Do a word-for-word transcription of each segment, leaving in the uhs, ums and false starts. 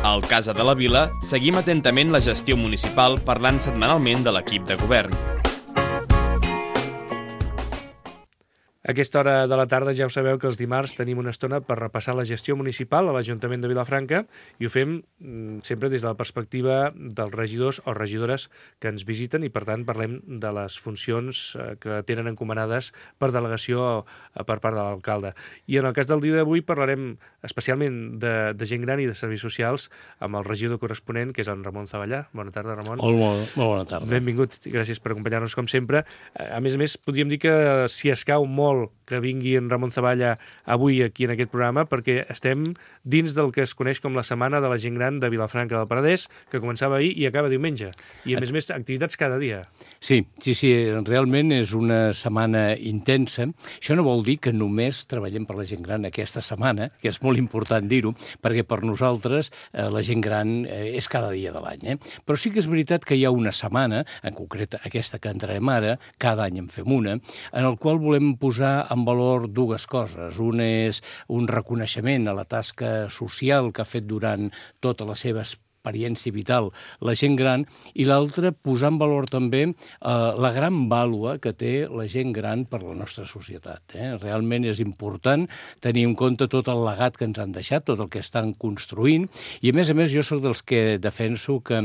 Al Casa de la Vila seguim atentament la gestió municipal parlant setmanalment de l'equip de govern. A aquesta hora de la tarda ja ho sabeu que els dimarts tenim una estona per repassar la gestió municipal a l'Ajuntament de Vilafranca i ho fem mm, sempre des de la perspectiva dels regidors o regidores que ens visiten i per tant parlem de les funcions eh, que tenen encomanades per delegació eh, per part de l'alcalde. I en el cas del dia d'avui parlarem especialment de, de gent gran i de serveis socials amb el regidor corresponent, que és en Ramon Zavallà. Bona tarda, Ramon. Molt, molt, molt bona tarda. Benvingut i gràcies per acompanyar-nos com sempre. A més a més, podríem dir que si escau molt que vingui en Ramon Zavallà avui aquí en aquest programa perquè estem dins del que es coneix com la Setmana de la Gent Gran de Vilafranca del Penedès, que començava ahir i acaba diumenge. I a més a més, activitats cada dia. Sí, sí, sí, realment és una setmana intensa. Això no vol dir que només treballem per la gent gran aquesta setmana, que és molt important dir-ho, perquè per nosaltres eh, la gent gran eh, és cada dia de l'any. Eh? Però sí que és veritat que hi ha una setmana, en concret aquesta que entrarem ara, cada any en fem una, en el qual volem posar en valor dues coses. Una és un reconeixement a la tasca social que ha fet durant tota la seva experiència vital la gent gran, i l'altra posar en valor també eh, la gran vàlua que té la gent gran per la nostra societat. Eh? Realment és important tenir en compte tot el legat que ens han deixat, tot el que estan construint, i a més a més jo sóc dels que defenso que,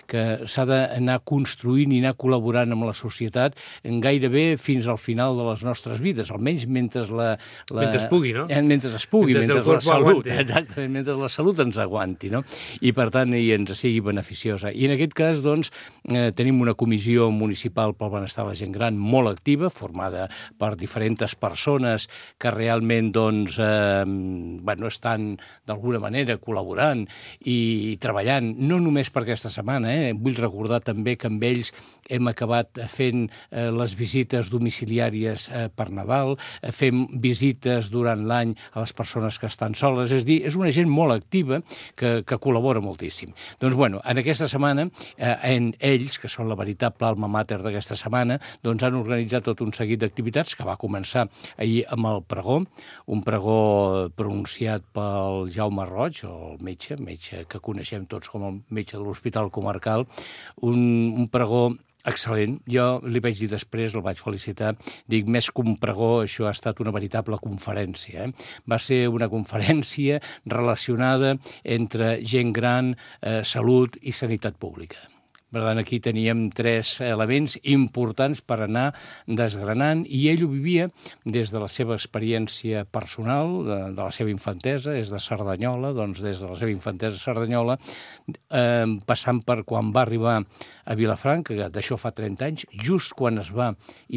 que s'ha d'anar construint i anar col·laborant amb la societat en gairebé fins al final de les nostres vides, almenys mentre la... la mentre es pugui, no? Eh, mentre es pugui, mentre, mentre la salut, aguanti. exactament, mentre la salut ens aguanti, no? I per tant i ens sigui beneficiosa. I en aquest cas, doncs, eh, tenim una comissió municipal pel benestar de la gent gran molt activa, formada per diferents persones que realment, doncs, eh, bueno, estan d'alguna manera col·laborant i treballant, no només per aquesta setmana, eh? Vull recordar també que amb ells hem acabat fent eh, les visites domiciliàries eh, per Nadal, eh, fem visites durant l'any a les persones que estan soles, és a dir, és una gent molt activa que, que col·labora moltíssim. Doncs, bueno, en aquesta setmana, eh, en ells, que són la veritable alma mater d'aquesta setmana, doncs han organitzat tot un seguit d'activitats que va començar ahir amb el pregó, un pregó pronunciat pel Jaume Roig, el metge, metge que coneixem tots com el metge de l'Hospital Comarcal, un, un pregó excel·lent. Jo li vaig dir després, el vaig felicitar, dic, més que un pregó, això ha estat una veritable conferència. Eh? Va ser una conferència relacionada entre gent gran, eh, salut i sanitat pública. Per tant, aquí teníem tres elements importants per anar desgranant, i ell ho vivia des de la seva experiència personal, de, de la seva infantesa, és de Cerdanyola, doncs des de la seva infantesa a Cerdanyola, eh, passant per quan va arribar a Vilafranca, que d'això fa trenta anys, just quan es va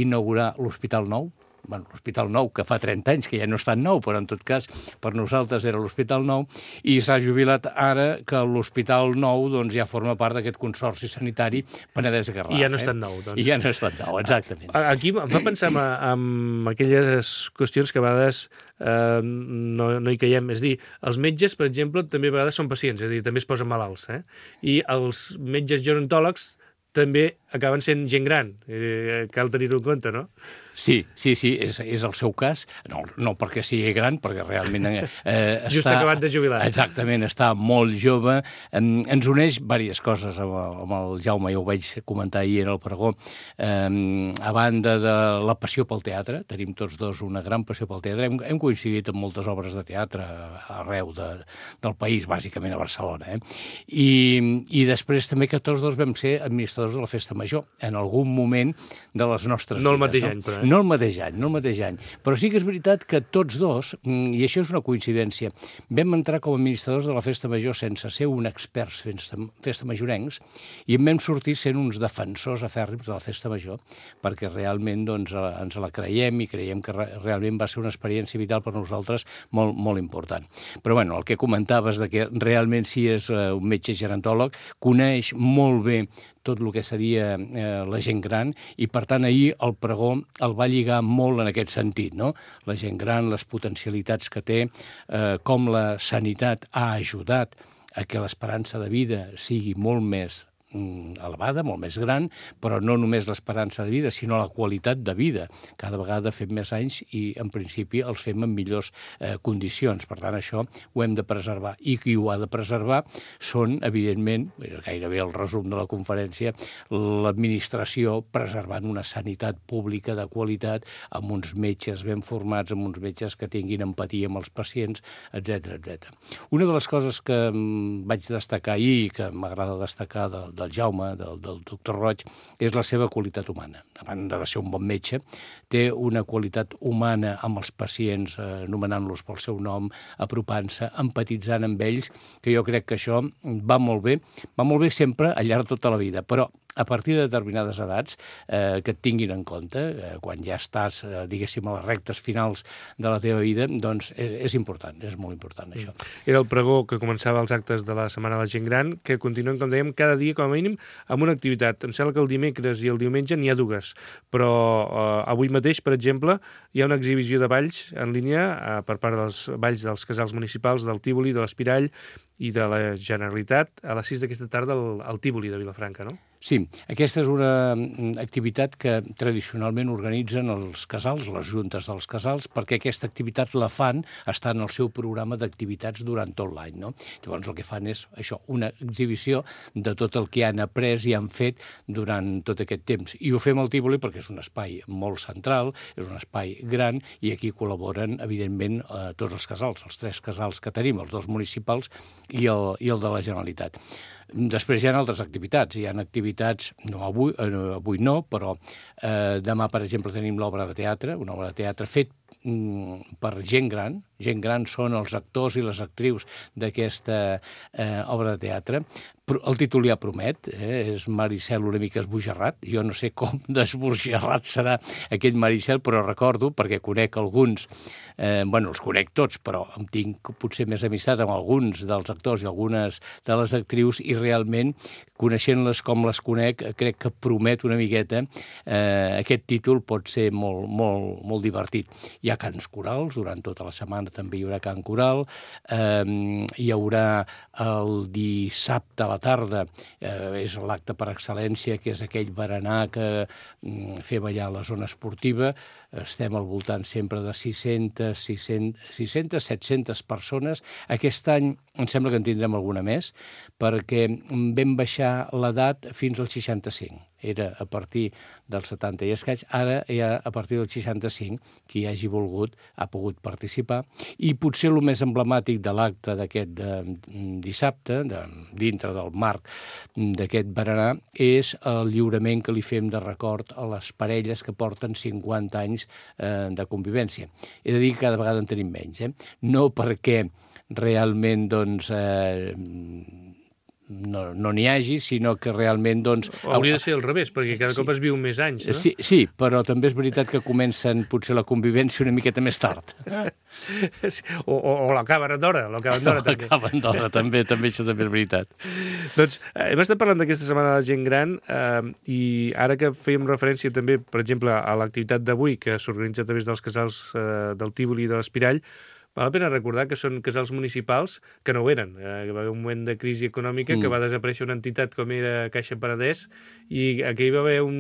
inaugurar l'Hospital Nou, bueno, l'Hospital Nou, que fa trenta anys, que ja no és tan nou, però en tot cas per nosaltres era l'Hospital Nou, i s'ha jubilat ara que l'Hospital Nou doncs, ja forma part d'aquest consorci sanitari Penedès-Garraf. I ja no és eh? tan nou, doncs. I ja no és tan nou, exactament. Aquí em fa pensar en, en aquelles qüestions que a vegades eh, no, no hi caiem. És a dir, els metges, per exemple, també a vegades són pacients, és a dir, també es posen malalts. Eh? I els metges gerontòlegs també acaben sent gent gran. Eh, cal tenir-ho en compte, no? Sí, sí, sí, és, és el seu cas, no, no perquè sigui gran, perquè realment eh, està... Just acabat de jubilar. Exactament, està molt jove. Eh, ens uneix diverses coses amb, amb el Jaume, ja ho vaig comentar ahir en el pregó. Eh, a banda de la passió pel teatre, tenim tots dos una gran passió pel teatre, hem, hem coincidit en moltes obres de teatre arreu de, del país, bàsicament a Barcelona. Eh? I, I després també que tots dos vam ser administradors de la Festa Major, en algun moment de les nostres no vides. El mateix no? any, però. No el mateix any, no el mateix any. Però sí que és veritat que tots dos, i això és una coincidència, vam entrar com a administradors de la Festa Major sense ser un experts festa, festa majorencs, i en vam sortir sent uns defensors afèrrims de la Festa Major, perquè realment doncs, ens la creiem i creiem que re realment va ser una experiència vital per nosaltres molt, molt important. Però bueno, el que comentaves de que realment sí és uh, un metge gerontòleg, coneix molt bé tot el que seria eh, la gent gran, i per tant ahir el pregó el va lligar molt en aquest sentit, no? La gent gran, les potencialitats que té, eh, com la sanitat ha ajudat a que l'esperança de vida sigui molt més elevada, molt més gran, però no només l'esperança de vida, sinó la qualitat de vida. Cada vegada fem més anys i, en principi, els fem en millors eh, condicions. Per tant, això ho hem de preservar. I qui ho ha de preservar són, evidentment, és gairebé el resum de la conferència, l'administració preservant una sanitat pública de qualitat, amb uns metges ben formats, amb uns metges que tinguin empatia amb els pacients, etcètera, etcètera. Una de les coses que vaig destacar ahir, que m'agrada destacar del, del Jaume, del, del doctor Roig, és la seva qualitat humana. A banda de ser un bon metge, té una qualitat humana amb els pacients, eh, anomenant-los pel seu nom, apropant-se, empatitzant amb ells, que jo crec que això va molt bé, va molt bé sempre al llarg de tota la vida, però a partir de determinades edats, eh, que et tinguin en compte, eh, quan ja estàs, eh, diguéssim, a les rectes finals de la teva vida, doncs és, és important, és molt important, això. Era el pregó que començava els actes de la Setmana de la Gent Gran, que continuen, com dèiem, cada dia, com a mínim, amb una activitat. Em sembla que el dimecres i el diumenge n'hi ha dues, però eh, avui mateix, per exemple, hi ha una exhibició de balls en línia eh, per part dels balls dels casals municipals, del Tívoli, de l'Espirall i de la Generalitat, a les sis d'aquesta tarda al, al Tívoli de Vilafranca, no? Sí, aquesta és una activitat que tradicionalment organitzen els casals, les juntes dels casals, perquè aquesta activitat la fan, està en el seu programa d'activitats durant tot l'any, no? Llavors el que fan és això, una exhibició de tot el que han après i han fet durant tot aquest temps. I ho fem al Tívoli perquè és un espai molt central, és un espai gran, i aquí col·laboren, evidentment, eh, tots els casals, els tres casals que tenim, els dos municipals i el, i el de la Generalitat. Després hi ha altres activitats. Hi ha activitats, no avui, eh, avui no, però eh, demà, per exemple, tenim l'obra de teatre, una obra de teatre fet mm, per gent gran. Gent gran són els actors i les actrius d'aquesta eh, obra de teatre. El títol ja promet, eh? És Maricel una mica esbojarrat. Jo no sé com d'esbojarrat serà aquell Maricel, però recordo, perquè conec alguns, eh, bueno, els conec tots, però em tinc potser més amistat amb alguns dels actors i algunes de les actrius, i realment, coneixent-les com les conec, crec que promet una miqueta. Eh, aquest títol pot ser molt, molt, molt divertit. Hi ha cants corals, durant tota la setmana també hi haurà cant coral, eh, hi haurà el dissabte a la tarda, eh, és l'acte per excel·lència, que és aquell berenar que mm, fer ballar la zona esportiva. Estem al voltant sempre de sis-centes, sis-centes, set-centes persones. Aquest any em sembla que en tindrem alguna més, perquè vam baixar l'edat fins als seixanta-cinc. Era a partir dels setanta i escaig, ara ja a partir dels seixanta-cinc, qui hagi volgut ha pogut participar. I potser el més emblemàtic de l'acte d'aquest de, dissabte, de, dintre del marc d'aquest berenar, és el lliurament que li fem de record a les parelles que porten cinquanta anys eh, de convivència. He de dir que cada vegada en tenim menys, eh? No perquè realment, doncs, eh, no no n'hi hagi, sinó que realment, doncs... Hauria de ser al revés, perquè cada cop es viu més anys, no? Sí, sí, però també és veritat que comencen potser la convivència una miqueta més tard. o, o, o l'acaben d'hora, l'acaben d'hora també. L'acaben d'hora, també, també, això també és veritat. Doncs eh, hem estat parlant d'aquesta setmana de la gent gran eh, i ara que fèiem referència també, per exemple, a l'activitat d'avui que s'organitza a través dels casals eh, del Tívoli i de l'Espirall, val la pena recordar que són casals municipals que no ho eren. Eh, va haver un moment de crisi econòmica mm. que va desaparèixer una entitat com era Caixa Penedès, i aquí hi va haver un,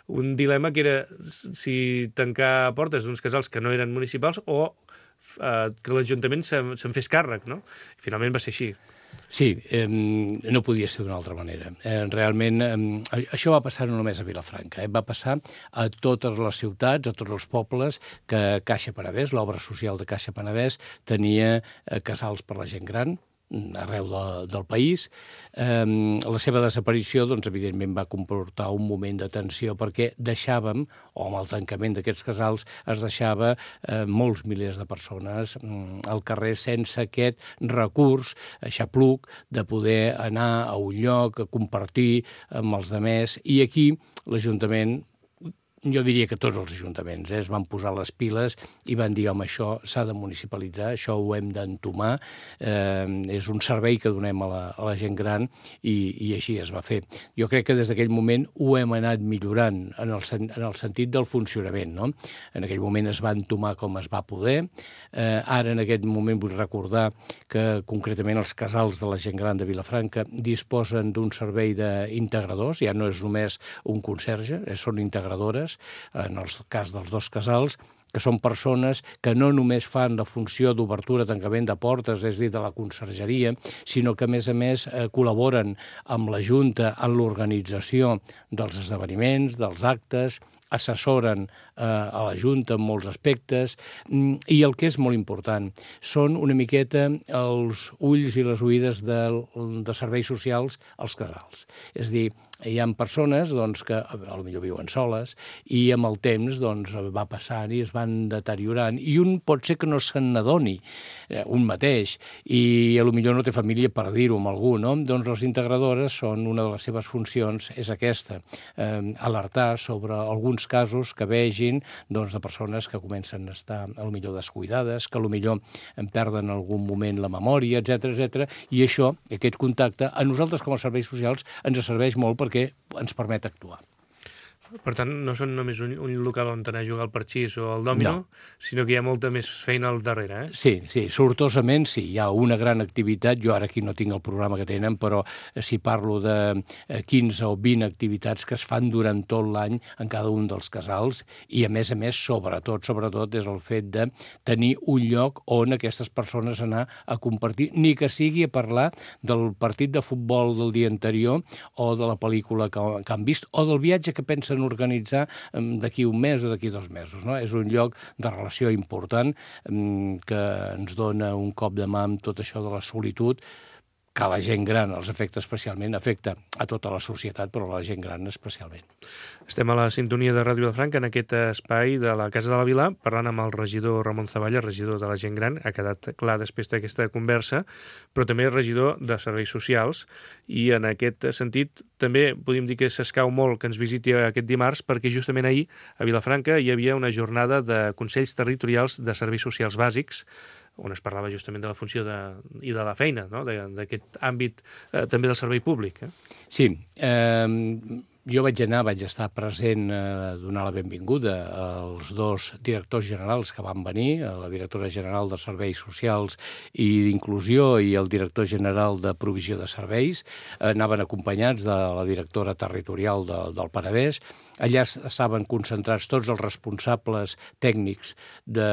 un dilema que era si tancar portes d'uns casals que no eren municipals o eh, que l'Ajuntament se'n se fes càrrec, no? I finalment va ser així. Sí, eh, no podia ser d'una altra manera. Eh, realment, eh, això va passar no només a Vilafranca, eh, va passar a totes les ciutats, a tots els pobles que Caixa Penedès, l'obra social de Caixa Penedès, tenia eh, casals per la gent gran, arreu de, del país. Eh, la seva desaparició, doncs, evidentment, va comportar un moment de tensió perquè deixàvem, o amb el tancament d'aquests casals, es deixava eh, molts milers de persones mm, al carrer sense aquest recurs, xapluc, de poder anar a un lloc, a compartir amb els demés, i aquí l'Ajuntament jo diria que tots els ajuntaments eh, es van posar les piles i van dir, home, això s'ha de municipalitzar, això ho hem d'entomar, eh, és un servei que donem a la, a la gent gran i, i així es va fer. Jo crec que des d'aquell moment ho hem anat millorant en el, en el sentit del funcionament, no? En aquell moment es va entomar com es va poder, eh, ara en aquest moment vull recordar que concretament els casals de la gent gran de Vilafranca disposen d'un servei d'integradors, ja no és només un conserge, eh, són integradores, en el cas dels dos casals, que són persones que no només fan la funció d'obertura, tancament de portes, és a dir, de la consergeria, sinó que, a més a més, eh, col·laboren amb la Junta en l'organització dels esdeveniments, dels actes, assessoren eh, a la Junta en molts aspectes i el que és molt important són una miqueta els ulls i les oïdes de, de serveis socials als casals. És a dir, hi ha persones doncs, que potser viuen soles i amb el temps doncs, va passant i es van deteriorant i un pot ser que no se n'adoni eh, un mateix i potser no té família per dir-ho amb algú, no? Doncs les integradores són una de les seves funcions, és aquesta, eh, alertar sobre alguns casos que vegin doncs, de persones que comencen a estar potser descuidades, que potser en perden en algun moment la memòria, etcètera, etcètera, i això, aquest contacte, a nosaltres com a serveis socials ens serveix molt perquè ens permet actuar. Per tant, no són només un, un local on anar a jugar al parxís o al dòmino, no. sinó que hi ha molta més feina al darrere, eh? Sí, sí, sortosament sí, hi ha una gran activitat, jo ara aquí no tinc el programa que tenen, però si parlo de quinze o vint activitats que es fan durant tot l'any en cada un dels casals, i a més a més, sobretot, sobretot, és el fet de tenir un lloc on aquestes persones anar a compartir, ni que sigui a parlar del partit de futbol del dia anterior o de la pel·lícula que, que han vist, o del viatge que pensen organitzar d'aquí un mes o d'aquí dos mesos. No? És un lloc de relació important que ens dona un cop de mà amb tot això de la solitud, que a la gent gran els afecta especialment, afecta a tota la societat, però a la gent gran especialment. Estem a la sintonia de Ràdio Vilafranca en aquest espai de la Casa de la Vila, parlant amb el regidor Ramon Zavalla, regidor de la gent gran, ha quedat clar després d'aquesta conversa, però també regidor de serveis socials, i en aquest sentit també podríem dir que s'escau molt que ens visiti aquest dimarts, perquè justament ahir a Vilafranca hi havia una jornada de Consells Territorials de Serveis Socials Bàsics, on es parlava justament de la funció de, i de la feina, no? d'aquest àmbit eh, també del servei públic. Eh? Sí, eh, jo vaig anar, vaig estar present a eh, donar la benvinguda als dos directors generals que van venir, la directora general de Serveis Socials i d'Inclusió i el director general de Provisió de Serveis, eh, anaven acompanyats de la directora territorial de, del Penedès. Allà estaven concentrats tots els responsables tècnics de,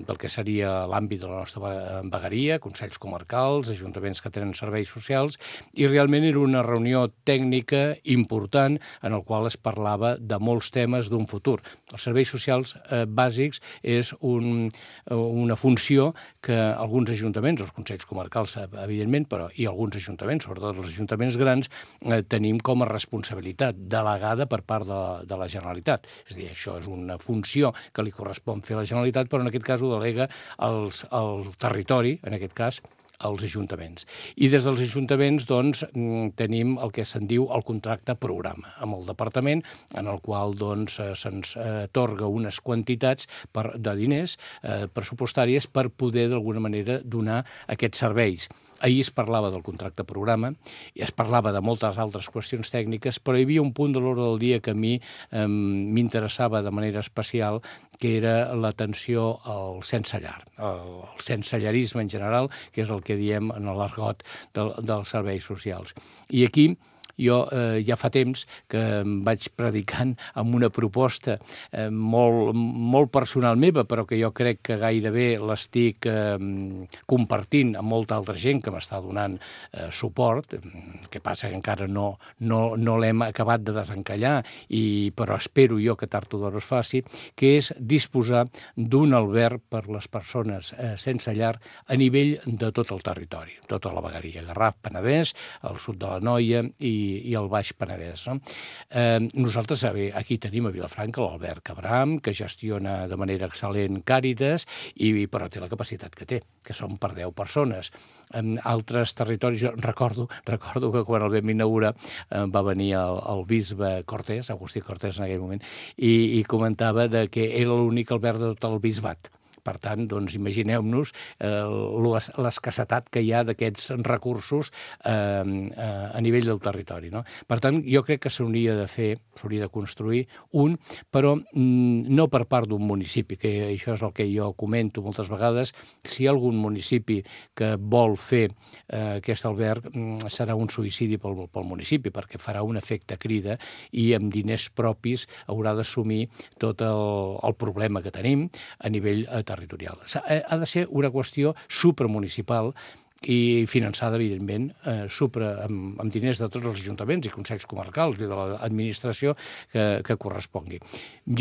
del que seria l'àmbit de la nostra vegueria, consells comarcals, ajuntaments que tenen serveis socials, i realment era una reunió tècnica important en el qual es parlava de molts temes d'un futur. Els serveis socials eh, bàsics és un, una funció que alguns ajuntaments, els consells comarcals evidentment, però i alguns ajuntaments, sobretot els ajuntaments grans, eh, tenim com a responsabilitat delegada per part de de la Generalitat. És a dir, això és una funció que li correspon fer a la Generalitat, però en aquest cas ho delega als, al territori, en aquest cas, als ajuntaments. I des dels ajuntaments, doncs, tenim el que se'n diu el contracte programa amb el departament, en el qual, doncs, se'ns atorga unes quantitats per, de diners eh, pressupostàries per poder, d'alguna manera, donar aquests serveis. Ahir es parlava del contracte programa i es parlava de moltes altres qüestions tècniques, però hi havia un punt de l'ordre del dia que a mi eh, m'interessava de manera especial, que era l'atenció al sense llar, el, el sensellarisme en general, que és el que diem en l'argot del, dels serveis socials. I aquí jo eh, ja fa temps que em vaig predicant amb una proposta eh, molt, molt personal meva, però que jo crec que gairebé l'estic eh, compartint amb molta altra gent que m'està donant eh, suport, que passa que encara no, no, no l'hem acabat de desencallar, i, però espero jo que tard o d'hora es faci, que és disposar d'un alberg per les persones eh, sense llar a nivell de tot el territori, tota la vegueria, Garraf, Penedès, el sud de l'Anoia i i el Baix Penedès. No? Eh, nosaltres aquí tenim a Vilafranca l'Albert Cabram, que gestiona de manera excel·lent Càritas, i, però té la capacitat que té, que són per deu persones. En altres territoris, jo recordo, recordo que quan el vam inaugurar eh, va venir el, el bisbe Cortés, Agustí Cortés en aquell moment, i, i comentava de que era l'únic Albert de tot el bisbat. Per tant, doncs, imagineu-nos eh, l'escassetat que hi ha d'aquests recursos eh, a nivell del territori. No? Per tant, jo crec que s'hauria de fer, s'hauria de construir un, però mm, no per part d'un municipi, que això és el que jo comento moltes vegades. Si hi ha algun municipi que vol fer eh, aquest alberg, mm, serà un suïcidi pel, pel municipi, perquè farà un efecte crida i amb diners propis haurà d'assumir tot el, el problema que tenim a nivell territorial. territorial. Ha de ser una qüestió supramunicipal i finançada, evidentment, eh, supra, amb, amb diners de tots els ajuntaments i consells comarcals i de l'administració que, que correspongui.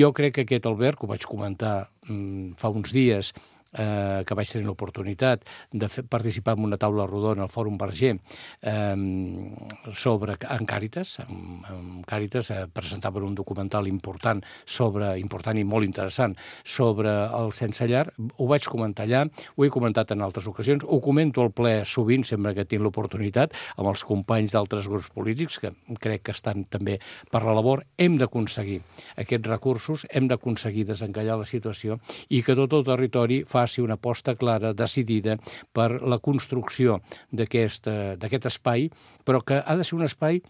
Jo crec que aquest alberg, ho vaig comentar mm, fa uns dies, eh, que vaig tenir l'oportunitat de fer, participar en una taula rodona al Fòrum Verger eh, sobre en Càritas, en, en Càritas eh, presentaven un documental important sobre, important i molt interessant, sobre el sense llar. Ho vaig comentar allà, ho he comentat en altres ocasions, ho comento al ple sovint, sempre que tinc l'oportunitat, amb els companys d'altres grups polítics, que crec que estan també per la labor. Hem d'aconseguir aquests recursos, hem d'aconseguir desencallar la situació i que tot el territori faci una aposta clara, decidida, per la construcció d'aquest espai, però que ha de ser un espai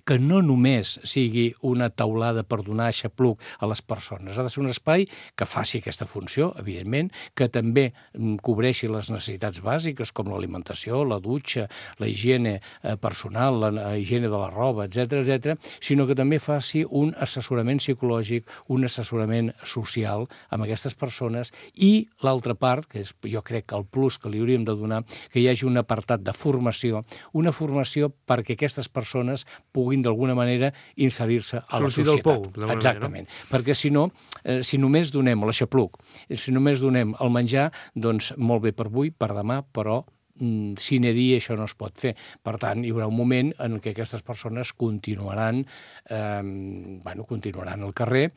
que no només sigui una taulada per donar xapluc a les persones. Ha de ser un espai que faci aquesta funció, evidentment, que també cobreixi les necessitats bàsiques com l'alimentació, la dutxa, la higiene personal, la higiene de la roba, etcètera, etcètera, sinó que també faci un assessorament psicològic, un assessorament social amb aquestes persones i l'altra part, que és jo crec que el plus que li hauríem de donar, que hi hagi un apartat de formació, una formació perquè aquestes persones puguin d'alguna manera inserir-se a la societat. Sortir del pou. Exactament. Perquè si no, eh, si només donem l'aixapluc, si només donem el menjar, doncs molt bé per avui, per demà, però mm, sine die això no es pot fer. Per tant, hi haurà un moment en què aquestes persones continuaran, eh, bueno, continuaran al carrer,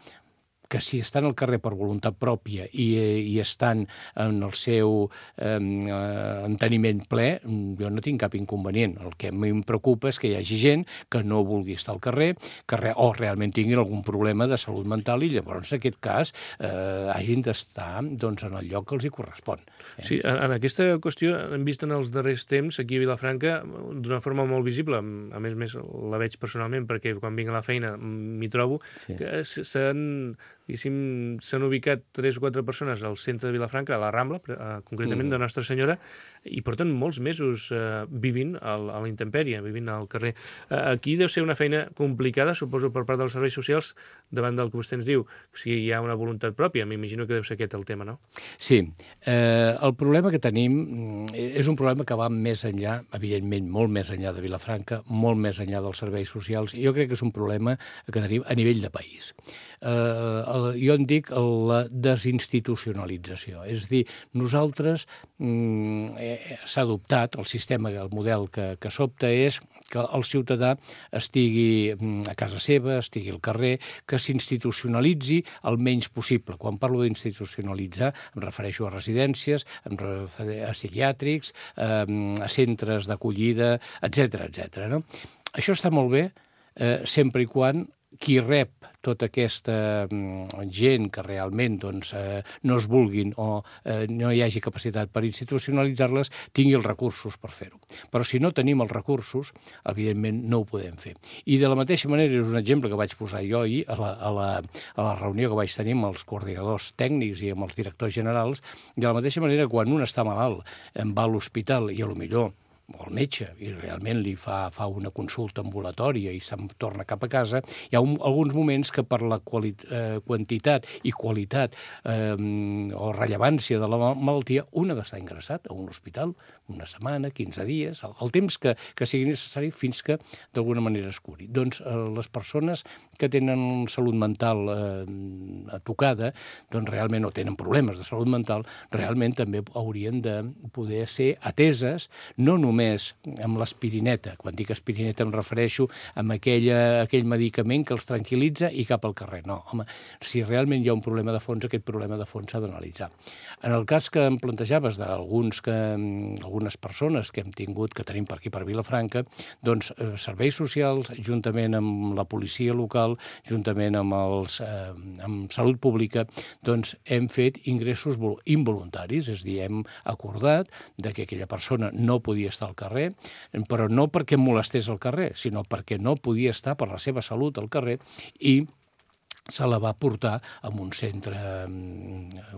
que si estan al carrer per voluntat pròpia i, i estan en el seu eh, enteniment ple, jo no tinc cap inconvenient. El que a mi em preocupa és que hi hagi gent que no vulgui estar al carrer, que re, o realment tinguin algun problema de salut mental i llavors, en aquest cas, eh, hagin d'estar doncs, en el lloc que els hi correspon. Eh? Sí, en, en aquesta qüestió hem vist en els darrers temps, aquí a Vilafranca, d'una forma molt visible, a més a més la veig personalment perquè quan vinc a la feina m'hi trobo, sí. que s'han... s'han ubicat tres o quatre persones al centre de Vilafranca, a la Rambla, eh, concretament mm. de Nostra Senyora, i porten molts mesos eh, vivint a, a la intempèrie, vivint al carrer. Eh, aquí deu ser una feina complicada, suposo, per part dels serveis socials, davant del que vostè ens diu, si hi ha una voluntat pròpia. M'imagino que deu ser aquest el tema, no? Sí. Eh, el problema que tenim és un problema que va més enllà, evidentment, molt més enllà de Vilafranca, molt més enllà dels serveis socials, i jo crec que és un problema que tenim a nivell de país. Eh, jo en dic la desinstitucionalització. És a dir, nosaltres mm, eh, s'ha adoptat el sistema, el model que, que s'opta és que el ciutadà estigui a casa seva, estigui al carrer, que s'institucionalitzi el menys possible. Quan parlo d'institucionalitzar em refereixo a residències, a psiquiàtrics, a centres d'acollida, etcètera, etcètera. No? Això està molt bé eh, sempre i quan qui rep tota aquesta gent que realment doncs, eh, no es vulguin o eh, no hi hagi capacitat per institucionalitzar-les, tingui els recursos per fer-ho. Però si no tenim els recursos, evidentment no ho podem fer. I de la mateixa manera, és un exemple que vaig posar jo ahir a la, a la, a la reunió que vaig tenir amb els coordinadors tècnics i amb els directors generals, de la mateixa manera, quan un està malalt, va a l'hospital i a lo millor o al metge, i realment li fa, fa una consulta ambulatòria i se'n torna cap a casa, hi ha un, alguns moments que per la quali, eh, quantitat i qualitat eh, o rellevància de la malaltia, un ha d'estar ingressat a un hospital una setmana, quinze dies, el, el temps que, que sigui necessari fins que d'alguna manera es curi. Doncs eh, les persones que tenen salut mental eh, tocada, doncs realment no tenen problemes de salut mental, realment també haurien de poder ser ateses, no només només amb l'aspirineta. Quan dic aspirineta em refereixo a aquella, aquell medicament que els tranquil·litza i cap al carrer. No, home, si realment hi ha un problema de fons, aquest problema de fons s'ha d'analitzar. En el cas que em plantejaves d'alguns que, algunes persones que hem tingut, que tenim per aquí per Vilafranca, doncs eh, serveis socials, juntament amb la policia local, juntament amb, els, eh, amb salut pública, doncs hem fet ingressos involuntaris, és a dir, hem acordat de que aquella persona no podia estar al carrer, però no perquè molestés al carrer, sinó perquè no podia estar per la seva salut al carrer i se la va portar a un centre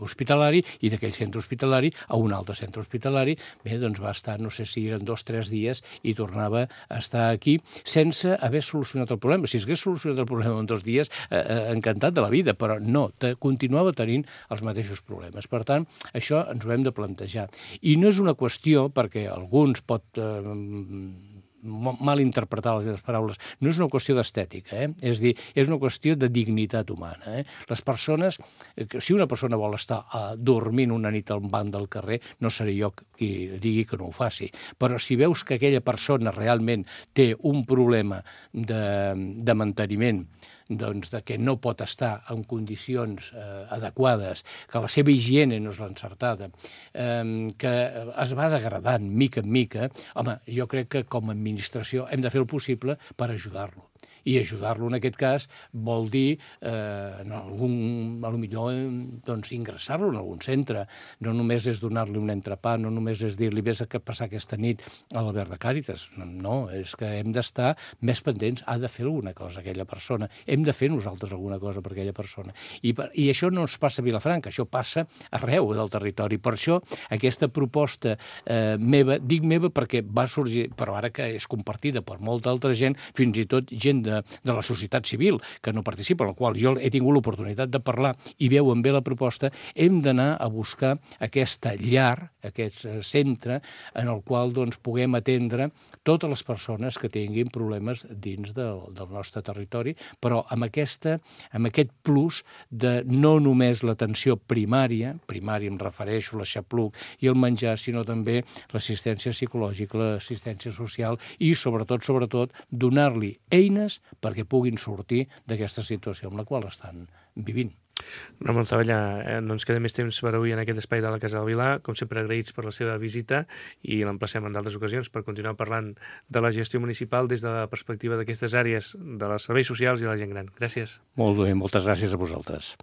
hospitalari i d'aquell centre hospitalari a un altre centre hospitalari. Bé, doncs va estar, no sé si eren dos o tres dies i tornava a estar aquí sense haver solucionat el problema. Si hagués solucionat el problema en dos dies, eh, encantat de la vida, però no, te, continuava tenint els mateixos problemes. Per tant, això ens ho hem de plantejar. I no és una qüestió, perquè alguns pot eh, mal interpretar les meves paraules, no és una qüestió d'estètica, eh? És dir, és una qüestió de dignitat humana. Eh? Les persones, si una persona vol estar uh, dormint una nit al banc del carrer, no seré jo qui digui que no ho faci. Però si veus que aquella persona realment té un problema de, de manteniment, doncs, de que no pot estar en condicions eh, adequades, que la seva higiene no és l'encertada, eh, que es va degradant mica en mica, home, jo crec que com a administració hem de fer el possible per ajudar-lo. I ajudar-lo en aquest cas vol dir eh, en algun, a lo millor doncs, ingressar-lo en algun centre. No només és donar-li un entrepà, no només és dir-li vés a passar aquesta nit a l'Alberg de Càritas. No, és que hem d'estar més pendents, ha de fer alguna cosa aquella persona, hem de fer nosaltres alguna cosa per aquella persona. I, per, i això no ens passa a Vilafranca, això passa arreu del territori. Per això aquesta proposta eh, meva, dic meva perquè va sorgir, però ara que és compartida per molta altra gent, fins i tot gent de de la societat civil, que no participa, en la qual jo he tingut l'oportunitat de parlar i veuen bé la proposta, hem d'anar a buscar aquesta llar, aquest centre, en el qual doncs, puguem atendre totes les persones que tinguin problemes dins del, del nostre territori, però amb, aquesta, amb aquest plus de no només l'atenció primària, primària em refereixo a l'aixapluc i el menjar, sinó també l'assistència psicològica, l'assistència social i, sobretot, sobretot, donar-li eines perquè puguin sortir d'aquesta situació amb la qual estan vivint. Ramon Zavallà, eh, no ens queda més temps per avui en aquest espai de la Casa del Vilar. Com sempre, agraïts per la seva visita i l'emplacem en d'altres ocasions per continuar parlant de la gestió municipal des de la perspectiva d'aquestes àrees de les serveis socials i de la gent gran. Gràcies. Molt bé, moltes gràcies a vosaltres.